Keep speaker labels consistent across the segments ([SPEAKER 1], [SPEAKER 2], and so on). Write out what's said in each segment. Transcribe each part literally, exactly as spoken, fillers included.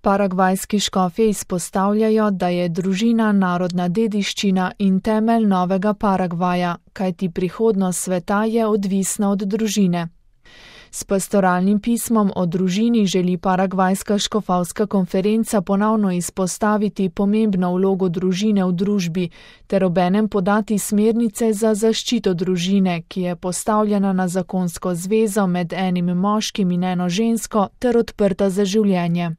[SPEAKER 1] Paragvajski škofje izpostavljajo, da je družina narodna dediščina in temelj novega Paragvaja, kajti prihodnost sveta je odvisna od družine. S pastoralnim pismom o družini želi Paragvajska škofovska konferenca ponovno izpostaviti pomembno vlogo družine v družbi ter obenem podati smernice za zaščito družine, ki je postavljena na zakonsko zvezo med enim moškim in eno žensko ter odprta za življenje.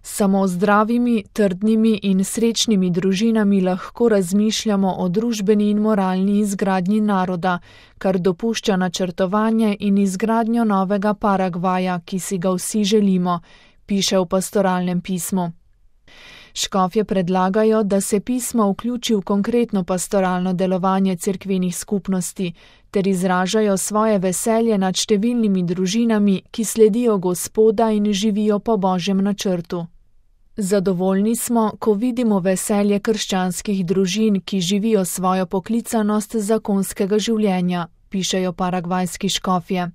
[SPEAKER 1] Samo zdravimi, trdnimi in srečnimi družinami lahko razmišljamo o družbeni in moralni izgradnji naroda, kar dopušča načrtovanje in izgradnjo novega Paragvaja, ki si ga vsi želimo, piše v pastoralnem pismu. Škofje predlagajo, da se pismo vključi v konkretno pastoralno delovanje cerkvenih skupnosti, ter izražajo svoje veselje nad številnimi družinami, ki sledijo Gospoda in živijo po Božjem načrtu. Zadovoljni smo, ko vidimo veselje krščanskih družin, ki živijo svojo poklicanost zakonskega življenja, pišejo paragvajski škofje.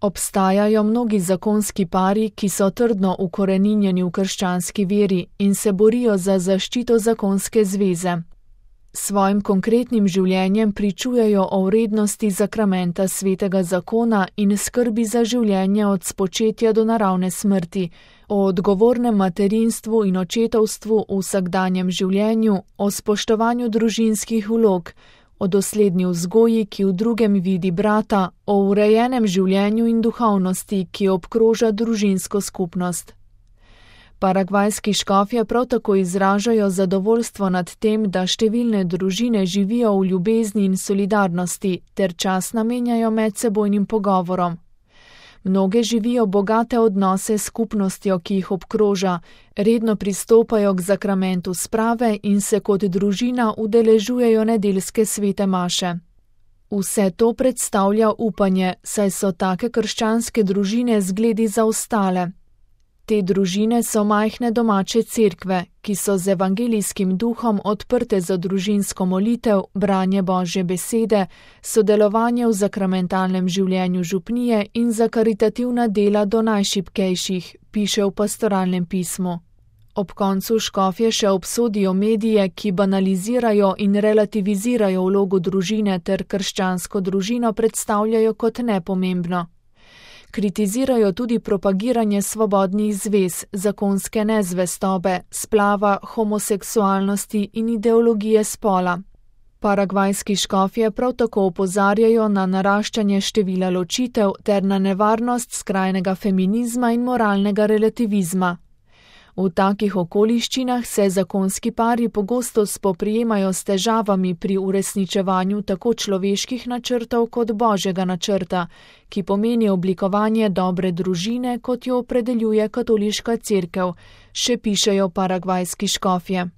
[SPEAKER 1] Obstajajo mnogi zakonski pari, ki so trdno ukoreninjeni v krščanski veri in se borijo za zaščito zakonske zveze. Svojim konkretnim življenjem pričujejo o vrednosti zakramenta svetega zakona in skrbi za življenje od spočetja do naravne smrti, o odgovornem materinstvu in očetovstvu v vsakdanjem življenju, o spoštovanju družinskih vlog, o dosledni vzgoji, ki v drugem vidi brata, o urejenem življenju in duhovnosti, ki obkroža družinsko skupnost. Paragvajski škofje prav tako izražajo zadovoljstvo nad tem, da številne družine živijo v ljubezni in solidarnosti ter čas namenjajo medsebojnim pogovorom. Mnoge živijo bogate odnose s skupnostjo, ki jih obkroža, redno pristopajo k zakramentu sprave in se kot družina udeležujejo nedeljske svete maše. Vse to predstavlja upanje, saj so take krščanske družine zgledi za ostale. Te družine so majhne domače cerkve, ki so z evangelijskim duhom odprte za družinsko molitev, branje Božje besede, sodelovanje v zakramentalnem življenju župnije in za karitativna dela do najšibkejših, piše v pastoralnem pismu. Ob koncu škofje še obsodijo medije, ki banalizirajo in relativizirajo vlogo družine ter krščansko družino predstavljajo kot nepomembno. Kritizirajo tudi propagiranje svobodnih zvez, zakonske nezvestobe, splava, homoseksualnosti in ideologije spola. Paragvajski škofje prav tako opozarjajo na naraščanje števila ločitev ter na nevarnost skrajnega feminizma in moralnega relativizma. V takih okoliščinah se zakonski pari pogosto spoprijemajo s težavami pri uresničevanju tako človeških načrtov kot Božjega načrta, ki pomeni oblikovanje dobre družine, kot jo opredeljuje katoliška cerkev, še pišejo paragvajski škofje.